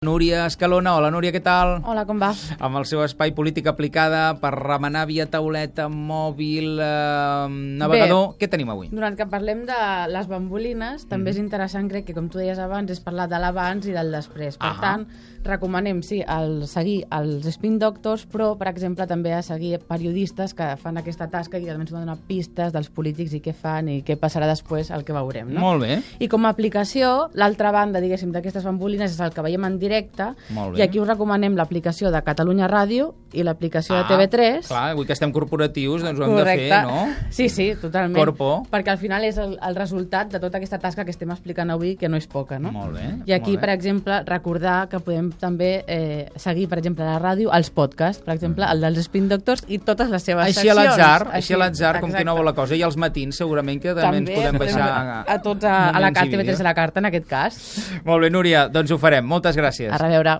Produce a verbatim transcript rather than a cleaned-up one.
Núria Escalona. Hola, Núria, què tal? Hola, com va? Amb el seu espai Política Aplicada per remenar via tauleta, mòbil, eh, navegador. Bé, què tenim avui? Durant que parlem de les bambolines, també mm. és interessant, crec que, com tu deies abans, és parlar de l'abans i del després. Per ah. tant, recomanem, sí, el seguir els Spin Doctors, però, per exemple, també a seguir periodistes que fan aquesta tasca i també ens van donar pistes dels polítics i què fan i què passarà després, el que veurem, no? Molt bé. I com a aplicació, l'altra banda, diguéssim, d'aquestes bambolines és el que veiem en directe, i aquí us recomanem l'aplicació de Catalunya Ràdio i l'aplicació ah, de T V tres. Clar, avui que estem corporatius, doncs ho hem Correcte. de fer, no? Sí, sí, totalment. Corpo. Perquè al final és el, el resultat de tota aquesta tasca que estem explicant avui, que no és poca, no? Molt bé. I aquí, molt bé. per exemple, recordar que podem també eh, seguir, per exemple, a la ràdio, els podcasts, per exemple, el dels Spin Doctors i totes les seves així seccions. A l'atzar, així a l'atzar, com qui no vol la cosa. I els matins, segurament, que també, també ens podem baixar a, a tots a, a la T V tres de la carta, en aquest cas. Molt bé, Núria, doncs ho farem. Moltes gràcies. A reveure.